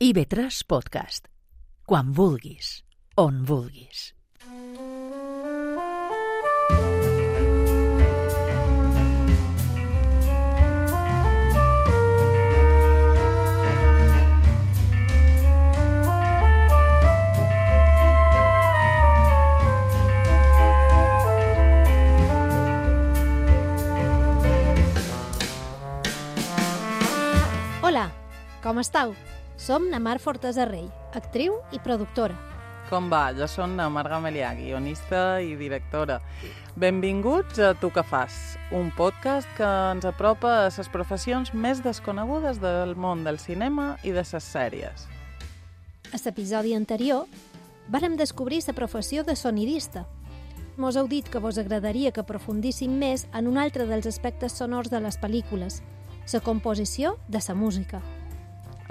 IB3 Podcast. Quan vulguis, on vulguis. Hola, com estàu? Som na Mar Fortesa Rey, actriu i productora. Com va? Jo som la Marga Melià, guionista i directora. Benvinguts a Tu que fas, un podcast que ens apropa a les professions més desconegudes del món del cinema i de les sèries. A l'episodi anterior vàrem descobrir la professió de sonidista. Mos heu dit que vos agradaria que aprofundíssim més en un altre dels aspectes sonors de les pel·lícules, la composició de la música.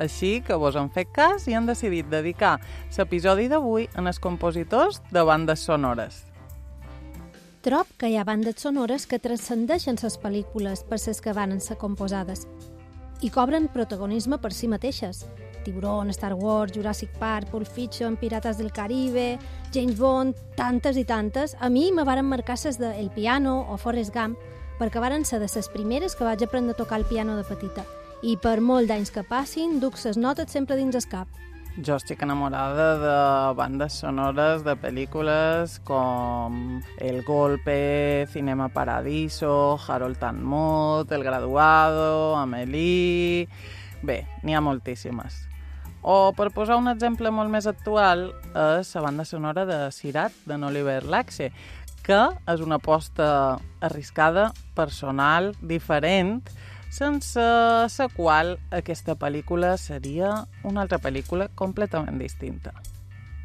Així que vos han fet cas i han decidit dedicar l'episodi d'avui a els compositors de bandes sonores. Trob que hi ha bandes sonores que transcendeixen les pel·lícules per les que van ser composades i cobren protagonisme per si mateixes. Tiburón, Star Wars, Jurassic Park, Pulp Fiction, Pirates del Caribe, James Bond, tantes i tantes. A mi me varen marcar les de El Piano o Forrest Gump, perquè varen ser de les primeres que vaig aprendre a tocar el piano de petita. I per molt d'anys que passin, duc les notes sempre dins el cap. Jo estic enamorada de bandes sonores de pel·lícules com El Golpe, Cinema Paradiso, Harold and Maude, El Graduado, Amélie... Bé, n'hi ha moltíssimes. O, per posar un exemple molt més actual, és la banda sonora de Sirat, d'en Oliver Laxe, que és una aposta arriscada, personal, diferent, sense la qual aquesta pel·lícula seria una altra pel·lícula completament distinta.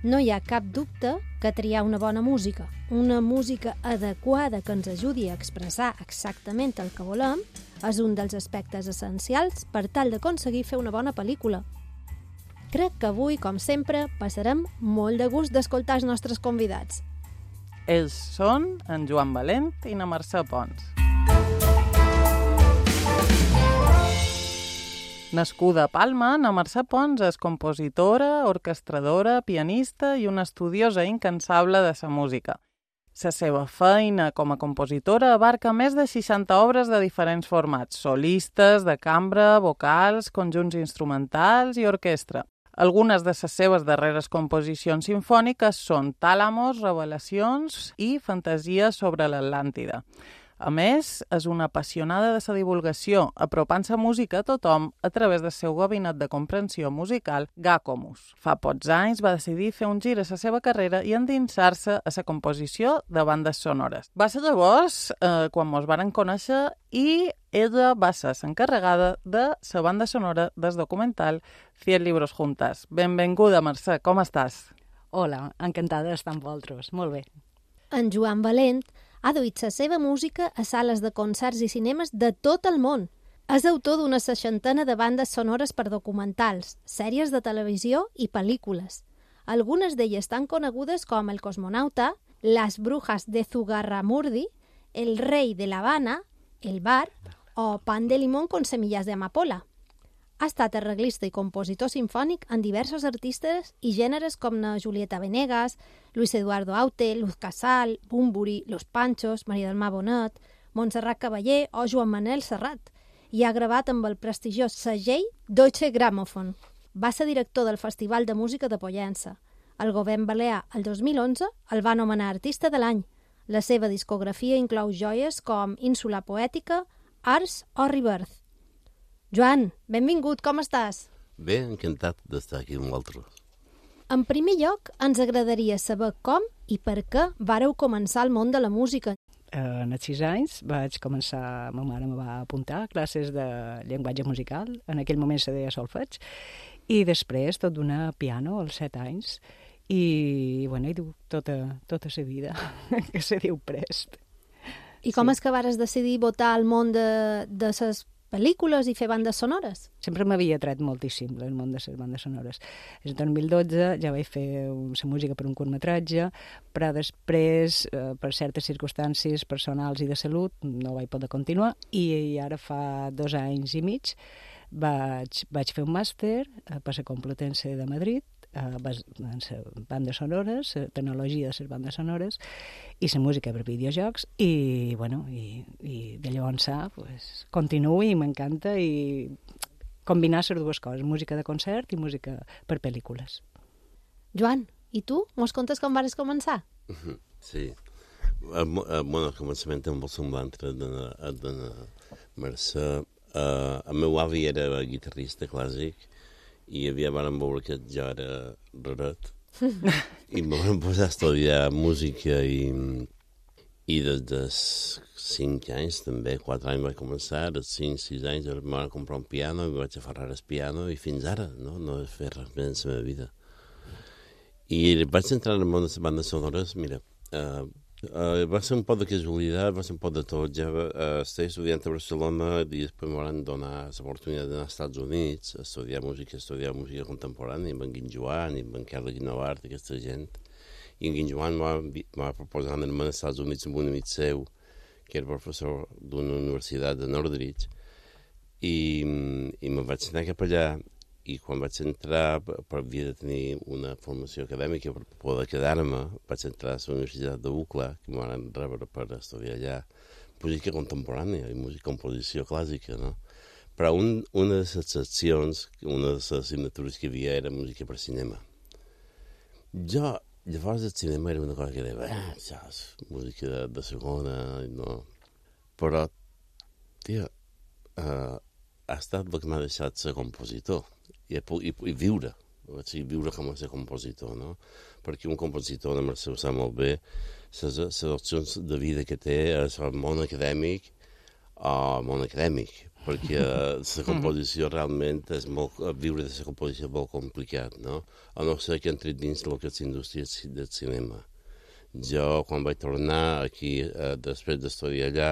No hi ha cap dubte que triar una bona música, una música adequada que ens ajudi a expressar exactament el que volem, és un dels aspectes essencials per tal d'aconseguir fer una bona pel·lícula. Crec que avui, com sempre, passarem molt de gust d'escoltar els nostres convidats. Ells són en Joan Valent i na Mercè Pons. Nascuda a Palma, na Mercè Pons és compositora, orquestradora, pianista i una estudiosa incansable de la música. La seva feina com a compositora abarca més de 60 obres de diferents formats, solistes, de cambra, vocals, conjunts instrumentals i orquestra. Algunes de les seves darreres composicions simfòniques són Tàlamos, Revelacions i Fantasia sobre l'Atlàntida. A més, és una apassionada de la divulgació, apropant la música a tothom a través del seu gabinet de comprensió musical Gacomus. Fa pocs anys va decidir fer un gir a la seva carrera i endinsar-se a la composició de bandes sonores. Va ser llavors quan mos varen conèixer i ella va ser l'encarregada de la banda sonora del documental 100 libros juntas. Benvinguda, Mercè, com estàs? Hola, encantada d'estar amb vosaltres. Molt bé. En Joan Valent ha duit la seva música a sales de concerts i cinemes de tot el món. És autor d'una 60 de bandes sonores per documentals, sèries de televisió i pel·lícules. Algunes d'elles tan conegudes com El cosmonauta, Las brujas de Zugarramurdi, El rei de La Habana, El bar o Pan de limón con semillas de amapola. Ha estat arreglista i compositor simfònic en diversos artistes i gèneres com na Julieta Venegas, Luis Eduardo Aute, Luz Casal, Bumburi, Los Panchos, Maria del Mar Bonet, Montserrat Caballé o Joan Manel Serrat, i ha gravat amb el prestigiós segell Deutsche Grammophon. Va ser director del Festival de Música de Pollença. El govern balear, el 2011, el va anomenar Artista de l'Any. La seva discografia inclou joies com Ínsula Poètica, Ars o Rebirth. Joan, benvingut, com estàs? Bé, encantat d'estar aquí amb vosaltres. En primer lloc, ens agradaria saber com i per què vàreu començar el món de la música. En els 6 anys vaig començar, ma mare me va apuntar a classes de llenguatge musical, en aquell moment se deia solfeig, i després tot d'una piano als 7 anys, i bueno, hi duc tota la vida, que se diu prest. I com és que vares decidir votar al món de les pel·lícules i fer bandes sonores? Sempre m'havia atret moltíssim el món de les bandes sonores. En 2012 ja vaig fer la música per un curtmetratge, però després, per certes circumstàncies personals i de salut, no vaig poder continuar, i ara fa 2 anys i mig vaig fer un màster per la Complutense de Madrid, en les bandes sonores, la tecnologia de les bandes sonores i la música per videojocs, i de llavors pues, continuo i m'encanta i combinar les dues coses, música de concert i música per pel·lícules. Joan, i tu? Mos contes com vas començar? Sí. Al començament era molt semblant a Mercè. El meu avi era guitarrista clàssic i vàrem veure que jo era raret i em vam posar a estudiar música i des dels 5 anys també, 4 anys vaig començar, als 5-6 anys em van comprar un piano i vaig aferrar el piano i fins ara no he fet res més en la meva vida. I vaig entrar en el món de les bandes sonores, mira, va ser un poc de casualitat, va ser un poc de tot. Ja estava estudiant a Barcelona i després em van donar l'oportunitat d'anar als Estats Units a estudiar música contemporània, amb en Guinjoan i amb en Carles Guinovart, aquesta gent. I en Guinjoan m'ha proposat anar-me als Estats Units amb un amic seu, que era professor d'una universitat de Northridge, i me'n vaig anar cap allà. I quan vaig entrar, per havia de tenir una formació acadèmica per poder quedar-me, vaig entrar a la Universitat de UCLA, que m'ho van rebre per estudiar allà, música contemporània i música composició clàssica, no? Però una de les seccions, una de les assignatures que hi havia era música per cinema. Jo, llavors el cinema era una cosa que deia, això és música de segona, no? Però, tia, ha estat el que m'ha deixat ser compositor. I viure, viure com a ser compositor, no? Perquè un compositor, la Mercè ho sap molt bé, les opcions de vida que té és el món acadèmic o el món acadèmic, perquè la composició realment és viure de la composició és molt complicat, no? A no ser que entri dins el que és l'indústria del cinema. Jo, quan vaig tornar aquí, després d'estudiar allà,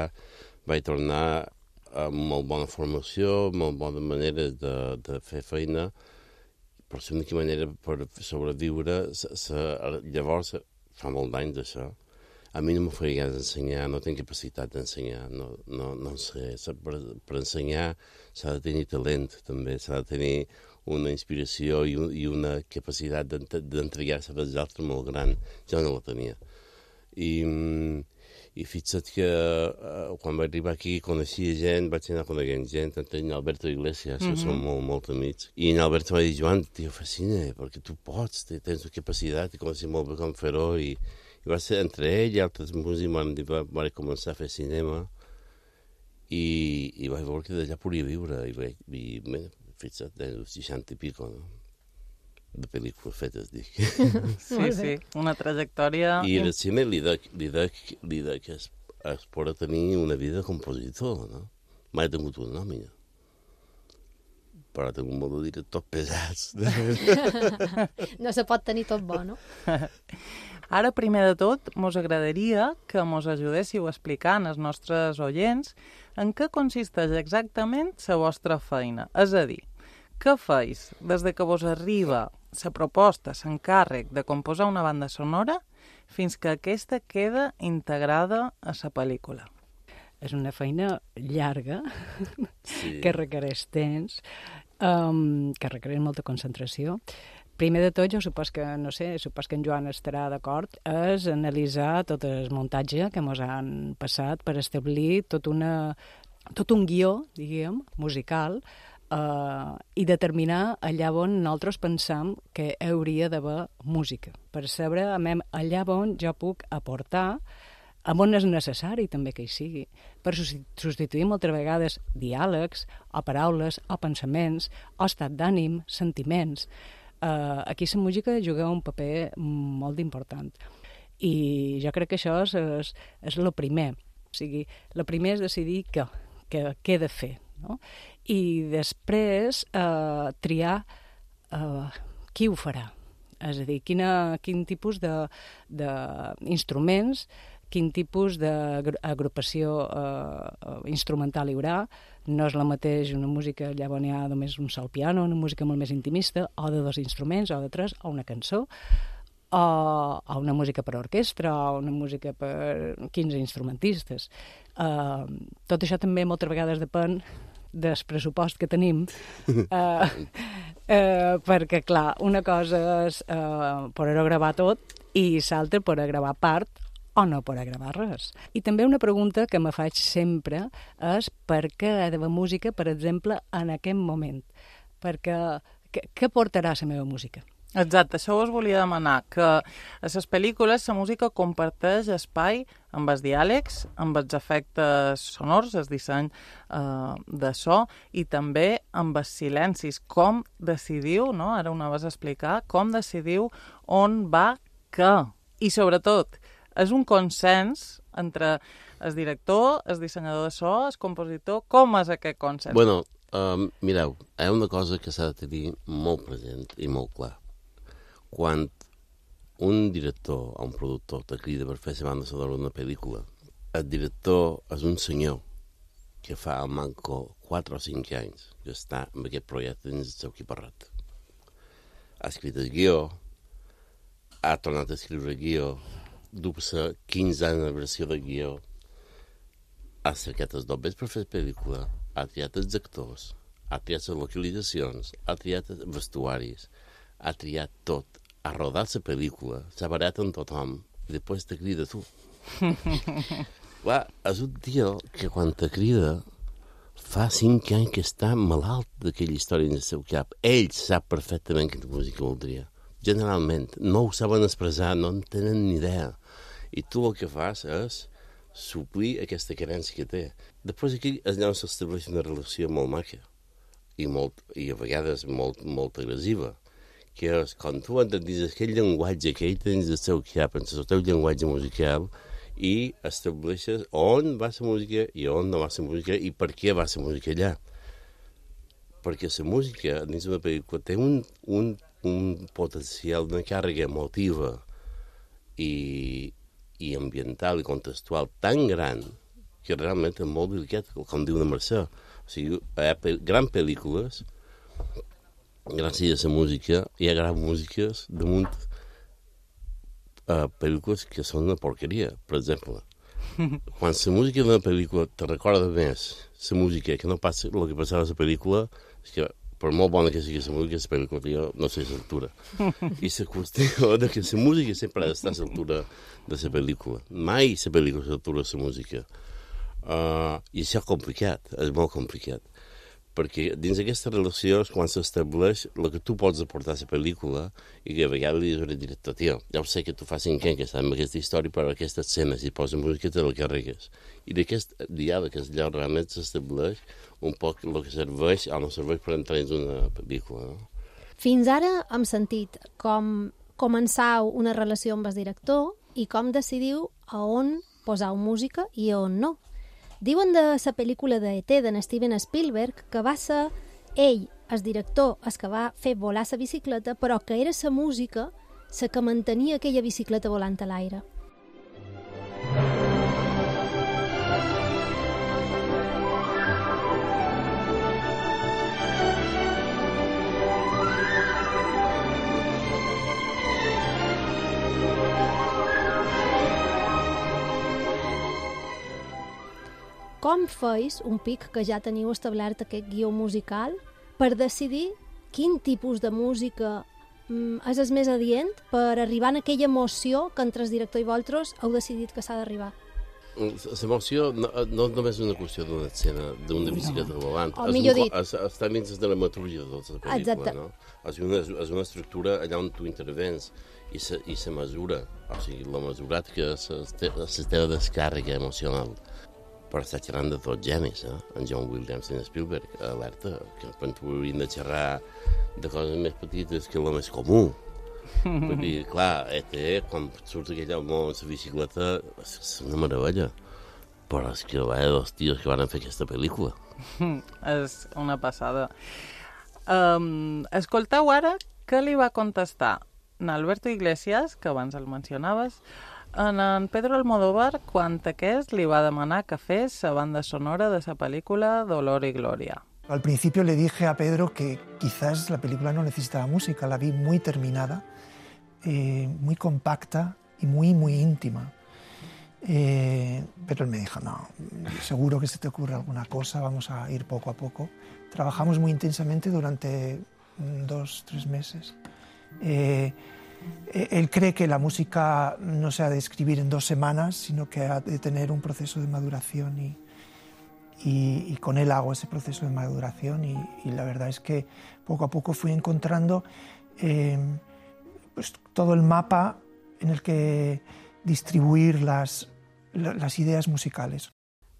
vaig tornar amb molt bona formació, molt bona manera de fer feina, però l'única manera per sobreviure, llavors, fa molt d'anys d'això, a mi no m'ho faria ganes d'ensenyar, no tinc capacitat d'ensenyar, no sé, per ensenyar s'ha de tenir talent també, s'ha de tenir una inspiració i una capacitat d'entregar-se pels altres molt gran, jo no la tenia. I fixa't que quan vaig arribar aquí coneixia gent, vaig anar coneguent gent, en Alberto Iglesias, que som molt amics. I en Alberto va dir, Joan, tio, fascina, perquè tu pots, tens la capacitat, i coneixia molt bé com fer-ho, i va ser entre ell i altres músics, van començar a fer cinema, i vaig veure que d'allà podia viure, i fixa't, dels 60 i pico, no? De pel·lícules fetes, dic. Sí, una trajectòria... I el cine li dec que es pot tenir una vida de compositor, no? Mai he tingut una nòmina. Però tinc un molt de directors pesats. No se pot tenir tot bo, no? Ara, primer de tot, mos agradaria que mos ajudéssiu explicant als nostres oients en què consisteix exactament la vostra feina. És a dir, què feis des que vos arriba la proposta, l'encàrrec de composar una banda sonora fins que aquesta queda integrada a la pel·lícula? És una feina llarga, Sí. que requereix temps, que requereix molta concentració. Primer de tot, jo supos que en Joan estarà d'acord, és analitzar tot el muntatge que ens han passat per establir tot un guió, diguem, musical, i determinar allà on nosaltres pensam que hauria d'haver música, per saber allà on jo puc aportar, on és necessari també que hi sigui, per substituir moltes vegades diàlegs, o paraules, o pensaments, o estat d'ànim, sentiments. Aquí la música juga un paper molt important. I jo crec que això és el primer. O sigui, el primer és decidir què he de fer, no? I després triar qui ho farà. És a dir, quin tipus d'instruments, quin tipus d'agrupació instrumental hi haurà. No és la mateix una música allà on hi ha només un sol piano, una música molt més intimista, o de 2 instruments, o de 3, o una cançó, o una música per orquestra, o una música per 15 instrumentistes. Tot això també moltes vegades depèn del pressupost que tenim, perquè, clar, una cosa és poder gravar tot i l'altra poder gravar part o no poder gravar res. I també una pregunta que me faig sempre és per què he de fer música, per exemple, en aquest moment? Perquè què portarà la meva música? Exacte, això us volia demanar, que a les pel·lícules la música comparteix espai amb els diàlegs, amb els efectes sonors, el disseny de so, i també amb els silencis. Com decidiu, no? Ara ho anaves a explicar, com decidiu on va què? I sobretot, és un consens entre el director, el dissenyador de so, el compositor. Com és aquest consens? Bueno, mireu, hi ha una cosa que s'ha de tenir molt present i molt clar. Quan un director o un productor te crida per fer la banda sonora d'una pel·lícula, el director és un senyor que fa al manco 4 o 5 anys que està amb aquest projecte dins el seu equiparrat. Ha escrit el guió, ha tornat a escriure el guió, du-se 15 anys de versió del guió, ha cercat els dobles per fer la pel·lícula, ha triat els actors, ha triat les localitzacions, ha triat els vestuaris, ha triat tot, ha rodat la pel·lícula, s'ha barat amb tothom, i després te crida tu. Clar, és un tio que quan te crida fa 5 anys que està malalt d'aquella història en el seu cap. Ell sap perfectament quina música voldria. Generalment, no ho saben expressar, no en tenen ni idea. I tu el que fas és suplir aquesta carència que té. Després aquí és allà on s'estableix una relació molt maca i a vegades molt agressiva, que és quan tu entendis aquell llenguatge que ell tens del seu cap, en el teu llenguatge musical, i estableixes on va la música i on no va la música i per què va la música allà. Perquè la música dins d'una pel·lícula té un potencial, una càrrega emotiva i ambiental i contextual tan gran que realment és molt delicat, com diu la Mercè. O sigui, hi ha grans pel·lícules, gràcies a la música, hi ha grans músiques damunt pel·lícules que són una porqueria, per exemple. Quan la música d'una pel·lícula te recorda més la música que no passa el que passava a la pel·lícula, és que per molt bona que sigui la música, la pel·lícula jo no sé l'altura. I la qüestió de que la música sempre ha d'estar a l'altura de la pel·lícula. Mai la pel·lícula és a l'altura de la música. I això és complicat, és molt complicat. Perquè dins d'aquesta relació és quan s'estableix el que tu pots aportar a la pel·lícula i que a vegades li dius al director, tio, ja ho sé que tu fa 5 anys que estàs amb aquesta història, però aquesta escena, si posa música, te la carregues. I d'aquest diàleg és allò realment s'estableix un poc el que serveix o no serveix per entrar dins una pel·lícula. No? Fins ara hem sentit com començau una relació amb el director i com decidiu a on posau música i a on no. Diuen de la pel·lícula de E.T. d'en Steven Spielberg que va ser ell, el director, el que va fer volar la bicicleta, però que era la música la que mantenia aquella bicicleta volant a l'aire. Com feis, un pic que ja teniu establert aquest guió musical, per decidir quin tipus de música és el més adient per arribar a aquella emoció que entre el director i vosaltres heu decidit que s'ha d'arribar? L'emoció no només és una qüestió d'una escena, d'una bicicleta volant. O millor dit. Està dins de la dramatúrgia de tota la pel·lícula, no? És una estructura allà on tu intervens i la mesura, o sigui, la mesurat que és la teva descàrrega emocional. Però està xerrant de tots genis, en John Williams i en Spielberg, alerta, que tu hauríem de xerrar de coses més petites que el més comú. Vull dir, clar, quan surt aquell home amb la bicicleta, és una meravella. Però és que va dos tios que van fer aquesta pel·lícula. És una passada. Escolteu ara què li va contestar en Alberto Iglesias, que abans el mencionaves, en Pedro Almodóvar quan aquest li va demanar que fes la banda sonora de esa película Dolor y Gloria. Al principio le dije a Pedro que quizás la película no necesitaba música, la vi muy terminada, muy compacta y muy íntima. Pero él me dijo, no, seguro que se te ocurre alguna cosa, vamos a ir poco a poco. Trabajamos muy intensamente durante 2-3 meses. Él cree que la música no se ha de escribir en 2 semanas, sino que ha de tener un proceso de maduración y con él hago ese proceso de maduración y la verdad es que poco a poco fui encontrando pues, todo el mapa en el que distribuir las idees musicales.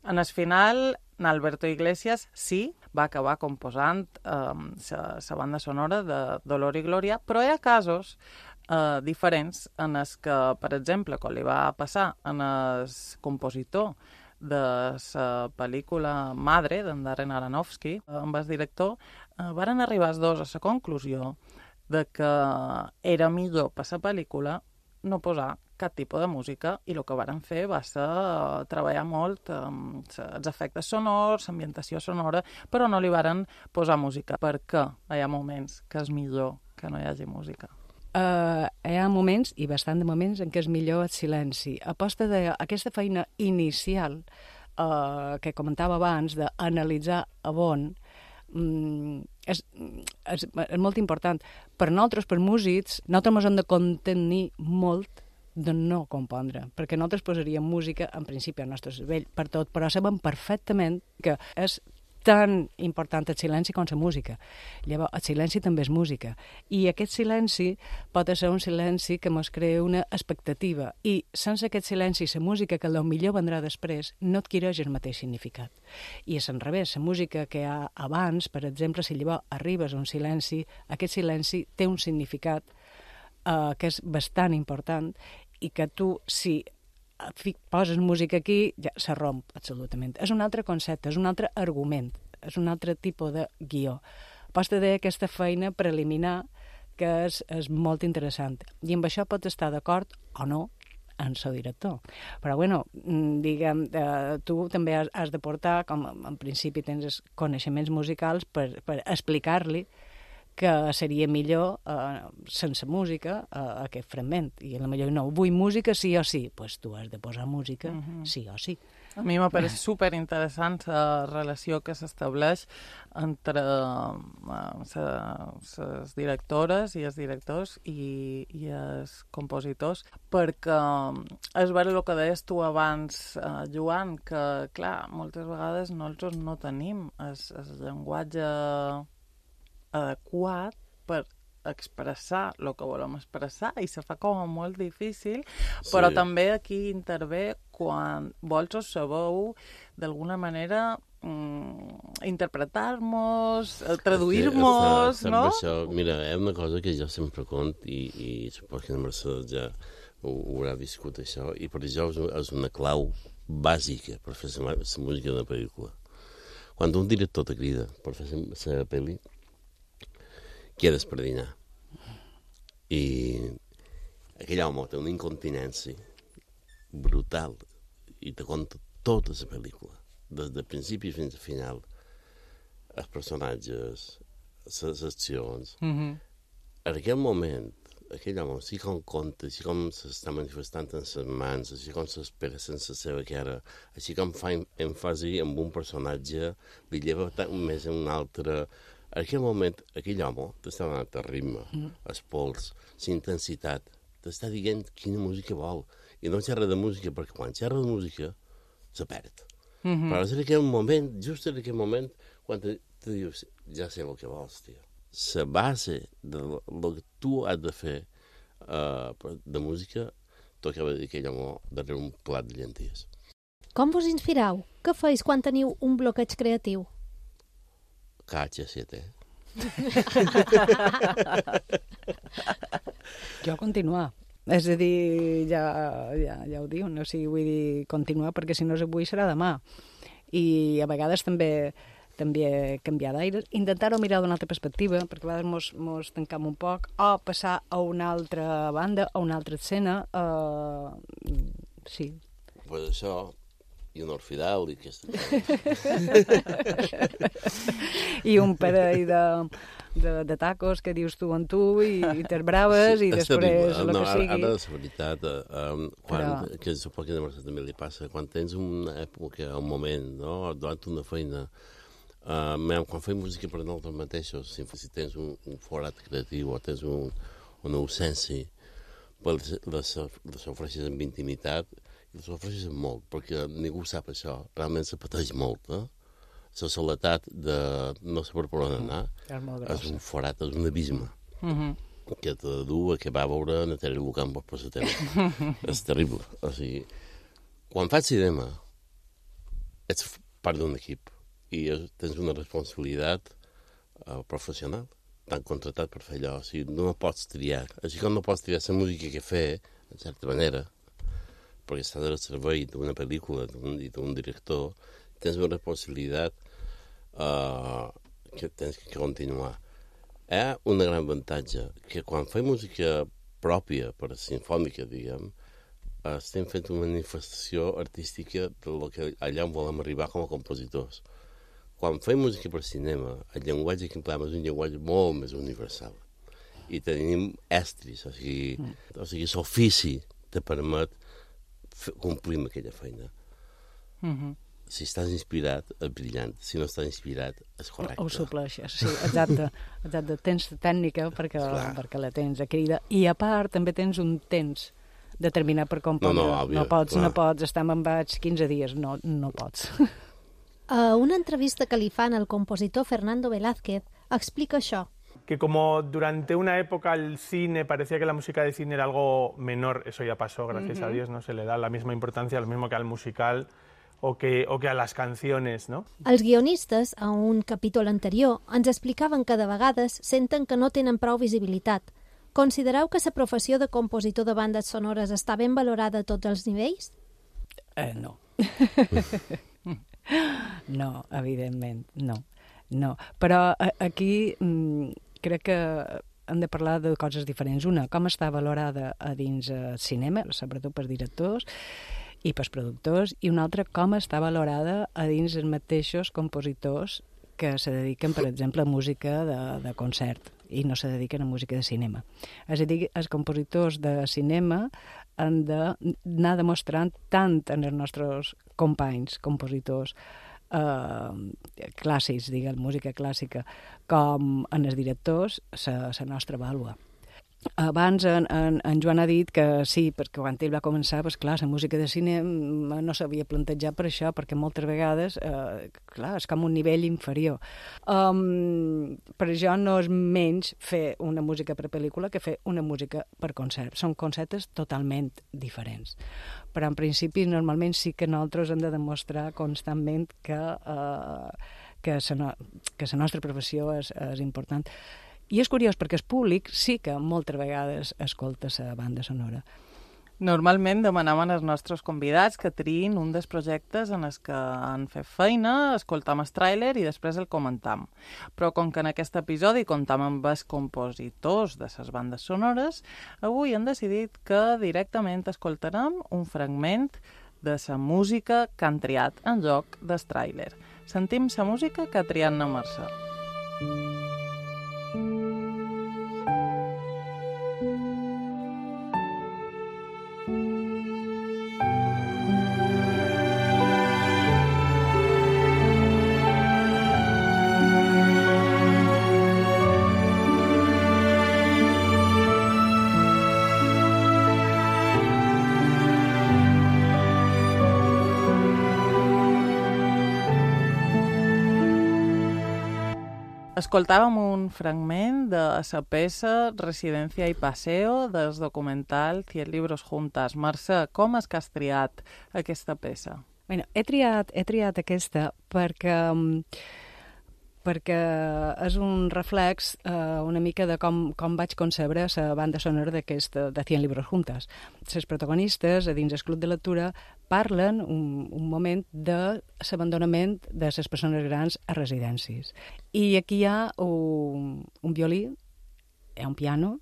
En el final, Alberto Iglesias sí va acabar composant la banda sonora de Dolor i Glòria, però hi ha casos diferents en els que, per exemple, com li va passar en el compositor de la pel·lícula Madre, d'en Darren Aronofsky, amb el director, varen arribar els dos a la conclusió de que era millor per la pel·lícula no posar cap tipus de música i el que varen fer va ser treballar molt els efectes sonors, l'ambientació sonora, però no li varen posar música. Per què hi ha moments que és millor que no hi hagi música? Hi ha moments, i bastant de moments, en què és millor el silenci. A posta d'aquesta feina inicial que comentava abans, d'analitzar a bon, és molt important. Per nosaltres, per músics, nosaltres ens hem de contenir molt de no compondre, perquè nosaltres posaríem música, en principi, al nostre cervell per tot, però sabem perfectament que és tan important el silenci com la música. Llavors, el silenci també és música. I aquest silenci pot ser un silenci que ens crea una expectativa. I sense aquest silenci, la música que potser vendrà després no adquireix el mateix significat. I és al revés, la música que hi ha abans, per exemple, si llavors arribes a un silenci, aquest silenci té un significat que és bastant important i que tu, si poses música aquí, ja se romp absolutament. És un altre concepte, és un altre argument, és un altre tipus de guió. Pots dir aquesta feina preliminar que és molt interessant. I amb això pots estar d'acord o no en el director. Però, bueno, diguem, tu també has de portar, com en principi tens els coneixements musicals, per explicar-li que seria millor sense música aquest fragment. I potser no, vull música sí o sí. Doncs pues tu has de posar música sí o sí. A mi m'ha pareix superinteressant la relació que s'estableix entre les directores i els directors i els compositors, perquè és vera el que deies tu abans, Joan, que, clar, moltes vegades nosaltres no tenim el llenguatge adequat per expressar el que volem expressar i se fa com molt difícil, però també aquí intervé quan vols o sabeu d'alguna manera interpretar-nos, traduir-nos, no? Això, mira, és una cosa que jo sempre conto i suposo que la Mercedes ja ho haurà viscut això, i per això és una clau bàsica per fer la música d'una pel·lícula. Quan un director te crida per fer la pel·li, quedes per dinar. I aquell home té una incontinència brutal i te conta tota la pel·lícula, des del principi fins al final, els personatges, les accions. En aquell moment, aquell home, així com conta, així com s'està manifestant en les mans, així com s'espera sense la seva cara, així com fa èmfasi en un personatge, li lleva més en un altre. En aquell moment, aquell home t'està donant el ritme, el pols, la intensitat, t'està dient quina música vol. I no xerra de música, perquè quan xerra de música, se perd. Però és en aquell moment, just en aquell moment, quan te dius, ja sé el que vols, tio. La base del que tu has de fer de música, t'ho acaba de dir aquell home darrere un plat de llenties. Com vos inspirau? Què feis quan teniu un bloqueig creatiu? KH7. Jo continuar. És a dir, ja ho diu, no? O sigui, vull dir, continuar, perquè si no és avui serà demà. I a vegades també canviar d'aire, intentar-ho mirar d'una altra perspectiva, perquè a vegades mos tancam un poc, o passar a una altra banda, a una altra escena. Sí. Pues això, I un orfidal i aquesta cosa. I un parell de tacos que dius tu en tu i te'n braves i després el que sigui. Ara, la veritat, que suposo que a Mercè també li passa, quan tens una època, un moment, no? Durant una feina, quan fem música per nosaltres mateixos, si tens un forat creatiu o tens una ausència, les ofreixes amb intimitat i les ofreixes amb molt, perquè ningú sap això, realment se pateix molt, eh? La soledat de no saber per on anar és un forat, és un abisme que te du a que va veure Natàlia Lucampo per la tele. És terrible. O sigui, quan fas cinema ets part d'un equip i tens una responsabilitat professional. T'han contratat per fer allò. O sigui, no pots triar. Així com no pots triar la música que fer, en certa manera, perquè estàs al servei d'una pel·lícula i d'un director, tens una responsabilitat que tens que continuar. Hi ha un gran avantatge, que quan fem música pròpia, per sinfònica, diguem, estem fent una manifestació artística del que allà on volem arribar com a compositors. Quan fem música per cinema, el llenguatge que empleem és un llenguatge molt més universal. I tenim estris, o sigui, l'ofici te permet complir amb aquella feina. Si estàs inspirat, és brillant. Si no estàs inspirat, és correcte. Ho supleixes, sí, exacte. Tens tècnica perquè la tens a crida. I a part també tens un temps determinat per compondre. No pots estar me'n vaig 15 dies, no pots. A una entrevista que li fan al compositor Fernando Velázquez explica això. Que como durante una época el cine parecía que la música de cine era algo menor, eso ya pasó, gracias a Dios, no se le da la misma importancia, lo mismo que al musical o que a las canciones, no? Els guionistes, a un capítol anterior, ens explicaven que de vegades senten que no tenen prou visibilitat. Considereu que la professió de compositor de bandes sonores està ben valorada a tots els nivells? No. No, evidentment, no. Però aquí crec que hem de parlar de coses diferents. Una, com està valorada a dins el cinema, sobretot per directors i pels productors, i una altra, com està valorada a dins els mateixos compositors que se dediquen, per exemple, a música de concert i no se dediquen a música de cinema. És a dir, els compositors de cinema han d'anar demostrant tant en els nostres companys, compositors clàssics, diguem, música clàssica, com en els directors, la nostra vàlua. Abans en Joan ha dit que sí, perquè quan ell va començar, doncs clar, la música de cinema no s'havia plantejat per això, perquè moltes vegades, clar, és com un nivell inferior. Per això no és menys fer una música per pel·lícula que fer una música per concert. Són conceptes totalment diferents. Però en principi, normalment sí que nosaltres hem de demostrar constantment que la nostra professió és important. I és curiós perquè el públic sí que moltes vegades escolta la banda sonora. Normalment demanaven als nostres convidats que triïn un dels projectes en els que han fet feina, escoltam el tràiler i després el comentam. Però com que en aquest episodi comptam amb els compositors de les bandes sonores, avui han decidit que directament escoltarem un fragment de la música que han triat en lloc del tràiler. Sentim la música que ha triat na Mercè. Escoltàvem un fragment de la peça Residencia y Paseo del documental 100 libros juntas. Mercè, com és que has triat aquesta peça? Bueno, he triat aquesta perquè és un reflex una mica de com vaig concebre la banda sonora de 100 libros juntas. Les protagonistes, a dins el club de lectura, parlen un moment de l'abandonament de les persones grans a residències. I aquí hi ha un violí, hi ha un piano,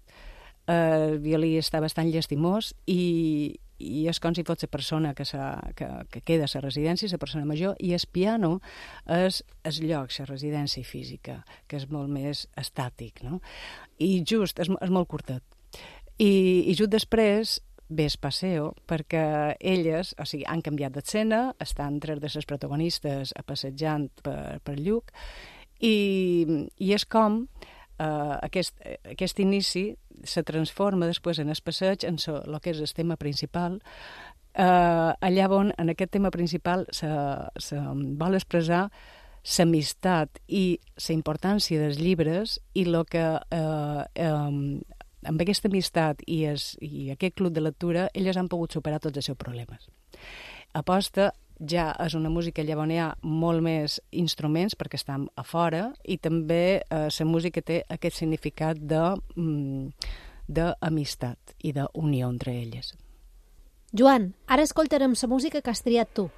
el violí està bastant llastimós i és com si fos la persona que queda a la residència, la persona major, i el piano és el lloc, la residència física, que és molt més estàtic, no? I just, és molt curtet. I just després ve el passeo, perquè elles, o sigui, han canviat d'escena, estan 3 de les protagonistes passejant per Lluc, i és com aquest inici se transforma després en el passeig en el que és el tema principal, allà on en aquest tema principal se vol expressar l'amistat i la importància dels llibres i el que amb aquesta amistat i aquest club de lectura elles han pogut superar tots els seus problemes. Aposta ja és una música allà on hi ha molt més instruments perquè estan a fora i també la música té aquest significat d'amistat i d'unió entre elles. Joan, ara escoltarem la música que has triat tu.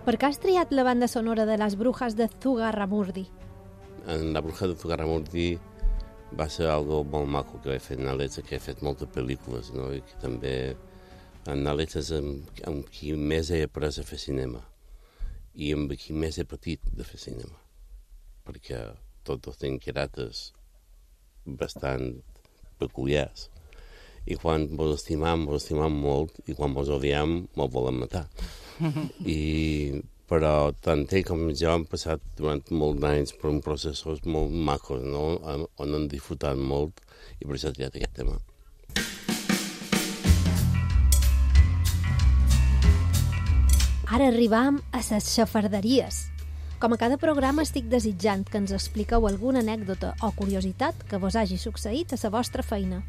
Per què has triat la banda sonora de Les Brujas de Zugarramurdi? En La Bruja de Zugarramurdi va ser algo molt maco que vaig fer en Alex, que he fet moltes pel·lícules, no? I que també en Alex és amb qui més he après a fer cinema i amb qui més he patit de fer cinema, perquè tots tenen caràcters bastant peculiars i quan vos estimam molt i quan vos odiem mos volem matar. Però tant ell com jo han passat durant molts anys per un processos molt macos, no? On han disfrutat molt i per això he triat aquest tema. Ara arribam a les xafarderies. Com a cada programa estic desitjant que ens expliqueu alguna anècdota o curiositat que vos hagi succeït a la vostra feina.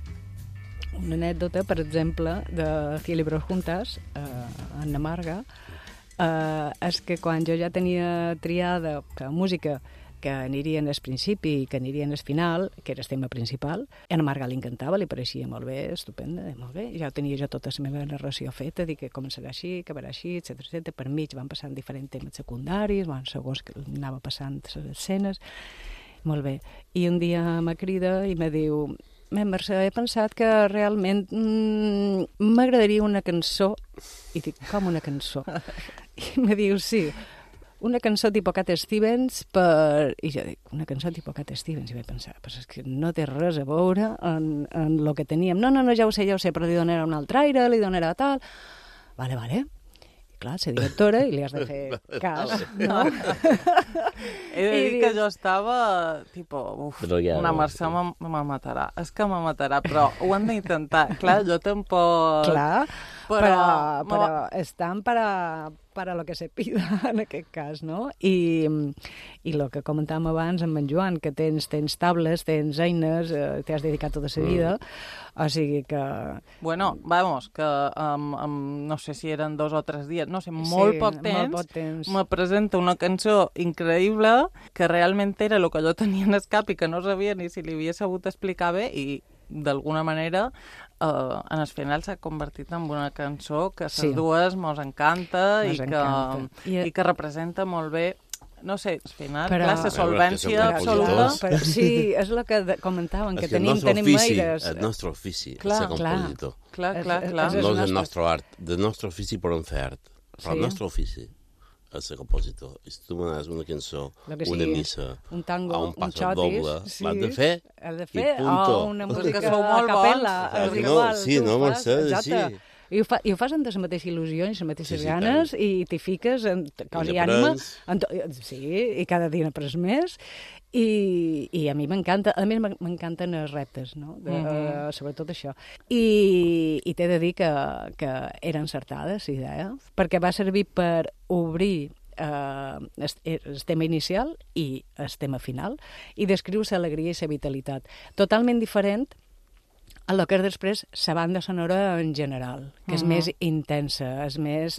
Una anècdota, per exemple, de Cilibros Juntas, Anna Marga, és que quan jo ja tenia triada que música que aniria en el principi i que aniria en el final, que era el tema principal, a Anna Marga li encantava, li pareixia molt bé, estupenda, molt bé. Ja tenia jo tota la meva narració feta, dic que començarà així, acabarà així, etc. Per mig van passant diferents temes secundaris, segons que anava passant les escenes, molt bé. I un dia me crida i me diu: Mercè, he pensat que realment m'agradaria una cançó. I dic, com una cançó? I me diu, sí, una cançó tipus Cat Stevens per... I jo dic, una cançó tipus Cat Stevens? I vaig pensar, però és que no té res a veure en el que teníem. No, ja ho sé, però li donarà un altre aire, li donarà tal... Vale. Clar, ser directora i li has de fer cas, no? He de dir que jo estava, una Mercè me matarà. És que me matarà, però ho hem d'intentar. Clar, jo tampoc... Clar, però estan para lo que se pida, en aquest cas, no? I el que comentàvem abans amb en Joan, que tens tables, tens eines, t'has dedicat tota la vida, o sigui que... Bueno, vamos, que no sé si eren 2 o 3 dies, no sé, molt poc temps, me presenta una cançó increïble que realment era el que jo tenia en el cap i que no sabia ni si li havia sabut explicar bé i d'alguna manera en el final s'ha convertit en una cançó que les dues mos encanta i que representa molt bé, no sé, al final, clar, la solvència absoluta. Sí, és el que comentàvem, que tenim aires. El nostre ofici és ser compositor. Clar. No és el nostre art, del nostre ofici podem fer art, però el nostre ofici és ser compositor. I si tu me dones una cançó, una missa, un tango, un passo doble, l'has de fer, i punto. Una música a capella. Sí, no, Mercè, sí. I ho fas amb les mateixes il·lusions, les mateixes ganes, tant. i t'hi fiques en cos i ànima. Sí, i cada dia n'aprens més. I a mi m'encanta, a més m'encanten els reptes, no? Sobretot això. I t'he de dir que era encertada, la idea, perquè va servir per obrir el tema inicial i el tema final, i descriu l'alegria i la vitalitat. Totalment diferent a lo que és després la banda sonora en general, que és més intensa, és més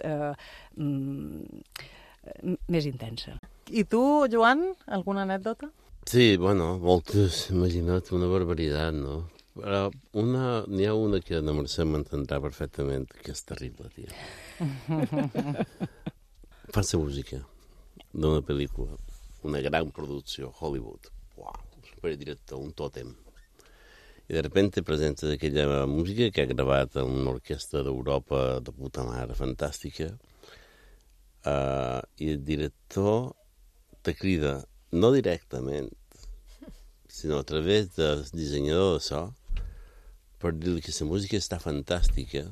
intensa. I tu, Joan, alguna anècdota? Sí, bueno, moltes, imagina't, una barbaritat, no? Però n'hi ha una que la Mercè m'entendrà perfectament, que és terrible, tia. Fan la música d'una pel·lícula, una gran producció, Hollywood. Uau, superdirector, un tòtem. I de repente presenta aquella música que ha gravat en una orquestra d'Europa de puta mare, fantàstica, i el director te crida, no directament, sinó a través del dissenyador de so, per dir-li que la música està fantàstica,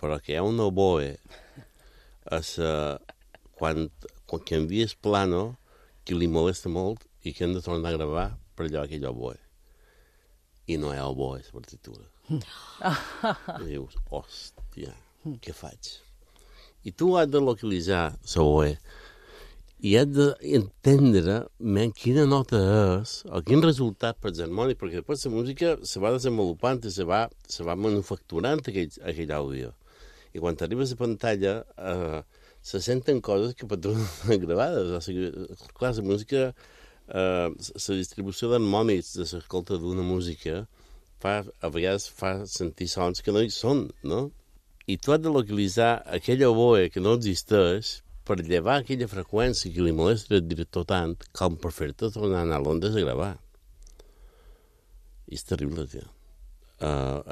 però que hi ha un oboe quan canvies plano que li molesta molt i que hem de tornar a gravar per allò aquell oboe. I no hi ha oboe a la partitura. I dius, hòstia, què faig? I tu has de localitzar l'oboe i has d'entendre quina nota és o quin resultat per harmònic, perquè després la música se va desenvolupant i se va manufacturant aquell àudio. I quan arribes a pantalla se senten coses que per tu no estan gravades. O sigui, clar, la música, la distribució d'harmònics de l'escolta d'una música a vegades fa sentir sons que no hi són, no? I tu has de localitzar aquell oboe que no existeix per llevar aquella freqüència que li molesta el director tant com per fer-te tornar a anar a Londres a gravar. I és terrible, tio.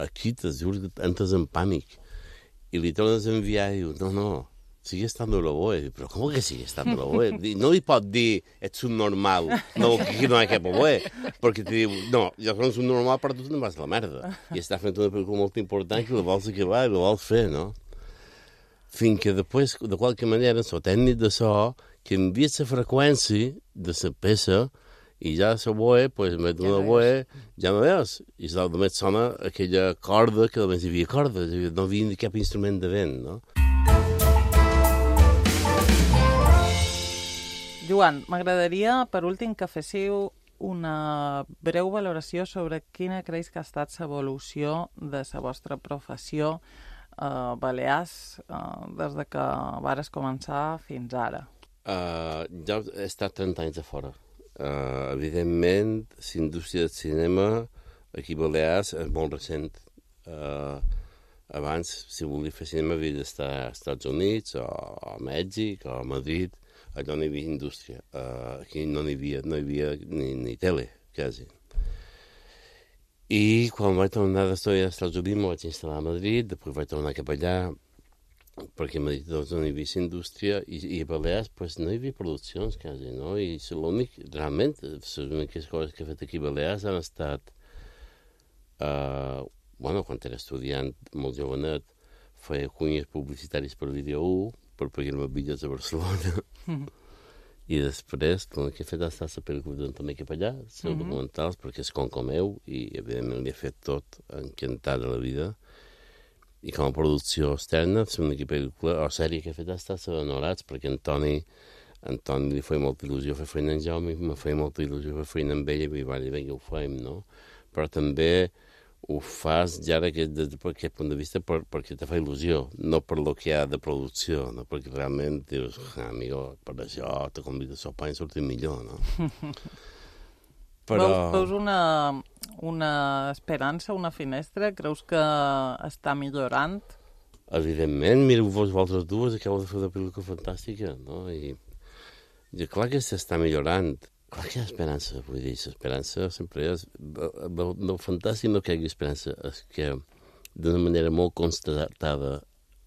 Aquí t'es dius que entres en pànic i li tornes a enviar i dius, no, sigue estando el oboe. Però com que sigue estando el oboe? No li pot dir, ets un normal, no, que no hi ha cap oboe, perquè te diu, no, jo soc un normal, però tu te'n vas a la merda. I estàs fent una pel·lícula molt important que la vols acabar i la vols fer, no? Fins que després, de qualque manera, el tècnic de so canvia la freqüència de la peça i ja l'oboe, pues, en vez d'un oboe, ja no veus. I només sona aquella corda, que només hi havia corda, no hi havia cap instrument de vent, no? Joan, m'agradaria, per últim, que féssiu una breu valoració sobre quina creus que ha estat l'evolució de la vostra professió a Balears des de que vares començar fins ara. Jo he estat 30 anys a fora. Evidentment, la indústria del cinema aquí a Balears és molt recent. Abans, si volia fer cinema, havia d'estar als Estats Units, o a Mèxic, o a Madrid. Allò no hi havia indústria. Aquí no hi havia ni tele, quasi. I quan vaig tornar d'estudi als Estats Units, m'ho vaig instal·lar a Madrid, després vaig tornar cap allà, perquè a Madrid doncs, no hi havia indústria, i a Balears pues, no hi havia produccions, quasi, no? I realment, les úniques coses que he fet aquí a Balears han estat, quan era estudiant molt jovenet, feia cunyes publicitaris per Vídeo 1, per pagar-me bitllets a Barcelona. I després, el que he fet ha estat la pel·lícula també cap allà, els documentals, perquè és com meu, i evidentment li he fet tot encantat de la vida. I com a producció externa, l'única pel·lícula o sèrie que he fet ha estat la d'Honorats, perquè Antoni li feia molta il·lusió fer feina en Jaume, i me feia molta il·lusió fer feina amb ella, i va dir, vinga, ho fem, no? Però també ho fas ja d'aquest punt de vista perquè te fa il·lusió, no per lo que hi ha de producció, no? Perquè realment dius, amigo, per això te convido a sopar i sortir millor, no? Però... Veus una esperança, una finestra? Creus que està millorant? Evidentment, mireu vosaltres dues, acabo de fer una pel·lícula fantàstica, no? I clar que s'està millorant. Clar que hi ha esperança, vull dir, l'esperança sempre és... El fantàstic no que hi hagi esperança és que d'una manera molt constatada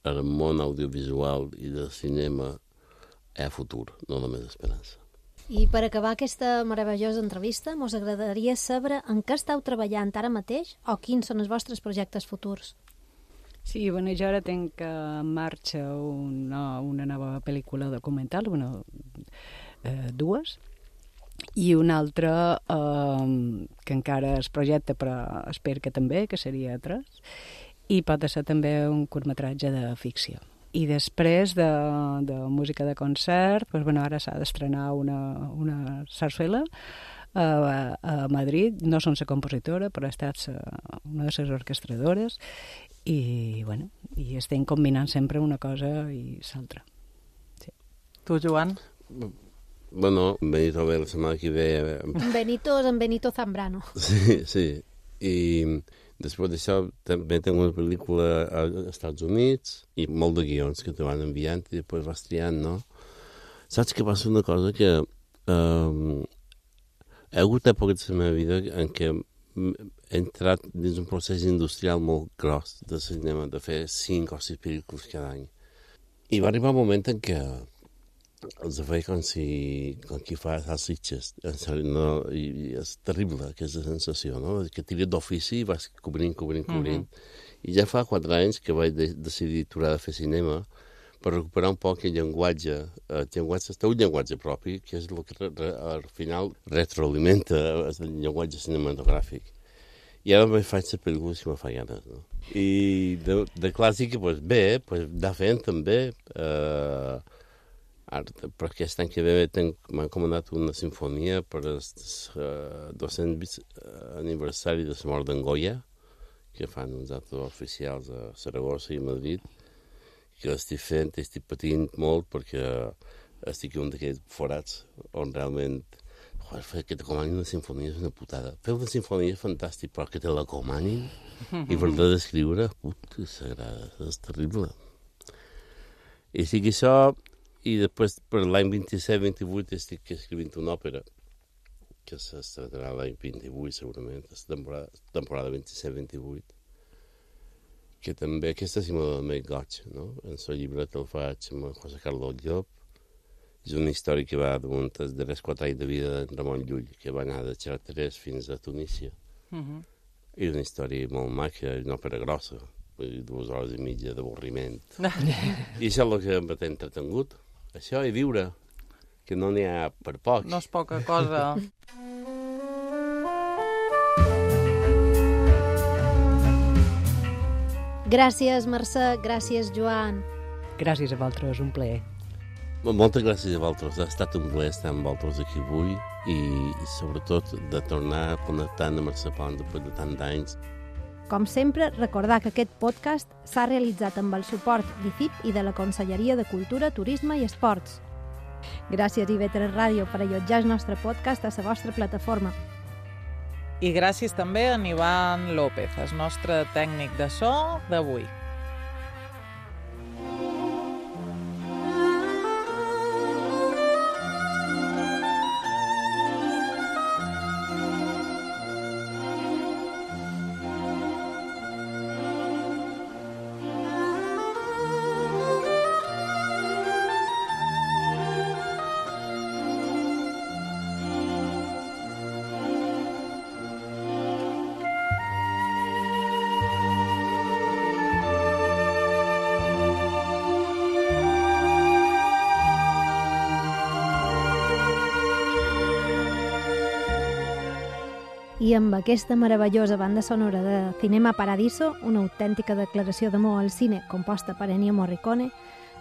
al món audiovisual i del cinema hi ha futur, no només esperança. I per acabar aquesta meravellosa entrevista, mos agradaria saber en què esteu treballant ara mateix o quins són els vostres projectes futurs. Sí, bueno, jo ara tinc en marxa una nova pel·lícula documental, dues, i una altra que encara es projecta, però espero que també, que seria 3, i pot ser també un curtmetratge de ficció. I després de música de concert, ara s'ha d'estrenar una sarsuela a Madrid. No som la compositora, però he estat una de les orquestradores i estem combinant sempre una cosa i l'altra. Sí. Tu, Joan? Bueno, Benito ve la setmana que ve... En Benito Zambrano. Sí. I després d'això també tinc una pel·lícula als Estats Units i molt de guions que te van enviant i després vas triant, no? Saps que passa una cosa que hi ha hagut èpoques de la meva vida en què he entrat dins un procés industrial molt gros de cinema, de fer 5 o 6 pel·lícules cada any. I va arribar un moment en què els feia com qui fa salsitxes. No, i és terrible aquesta sensació, no? Que tires d'ofici i vas cobrint. I ja fa 4 anys que vaig decidir aturar de fer cinema per recuperar un poc el llenguatge, el teu llenguatge propi, que és el que al final retroalimenta el llenguatge cinematogràfic. I ara me faig les pel·lícules que me fa ganes, no? I de clàssica, doncs bé, anar fent també... per aquest any que ve m'ha encomanat una sinfonia per el 200 aniversari de la mort d'en Goya, que fan uns actes oficials a Saragossa i a Madrid, que l'estic fent i estic patint molt perquè estic un d'aquests forats on realment que t'acomanin una sinfonia és una putada. Fer una sinfonia és fantàstic, però que te l'acomanin i per d'escriure, puta sagrada, és terrible. I sí que això... I després, per l'any 27-28, estic escrivint una òpera que s'estrenarà l'any 28, segurament, la temporada 27-28, que també, aquesta sí m'ha donat goig, no? En el llibret el faig amb José Carlos Llop. És una història que va damunt els darrers 4 anys de vida d'en Ramon Llull, que va anar de Chartres fins a Tunísia. I una història molt maca, una òpera grossa, 2 hores i mitja d'avorriment. I això és el que m'ha entretengut. Això i viure, que no n'hi ha per poc. No és poca cosa. Gràcies, Mercè, gràcies, Joan. Gràcies a vosaltres, un plaer. Moltes gràcies a vosaltres, ha estat un plaer estar amb vosaltres aquí avui i sobretot de tornar a connectar amb Mercè Pons després de tant d'anys. Com sempre, recordar que aquest podcast s'ha realitzat amb el suport d'ICIP i de la Conselleria de Cultura, Turisme i Esports. Gràcies IB3 Ràdio per allotjar el nostre podcast a la vostra plataforma. I gràcies també a Ivan López, el nostre tècnic de so d'avui. I amb aquesta meravellosa banda sonora de Cinema Paradiso, una autèntica declaració d'amor al cine composta per Ennio Morricone,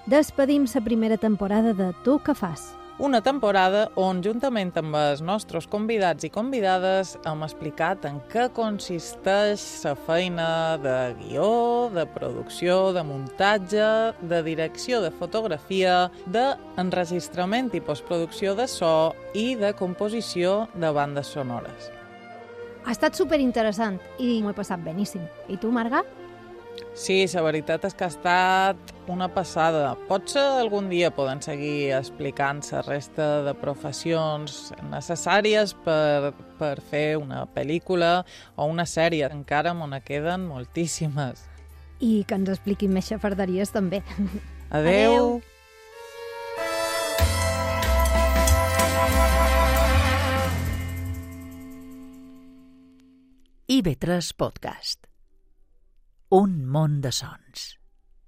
despedim la primera temporada de Tu què fas? Una temporada on, juntament amb els nostres convidats i convidades, hem explicat en què consisteix la feina de guió, de producció, de muntatge, de direcció de fotografia, d'enregistrament i postproducció de so i de composició de bandes sonores. Ha estat superinteressant i m'ho he passat beníssim. I tu, Marga? Sí, la veritat és que ha estat una passada. Potser algun dia poden seguir explicant la resta de professions necessàries per fer una pel·lícula o una sèrie. Encara m'ho queden moltíssimes. I que ens expliquin més xafarderies també. Adeu! IB3 Podcast. Un món de sons.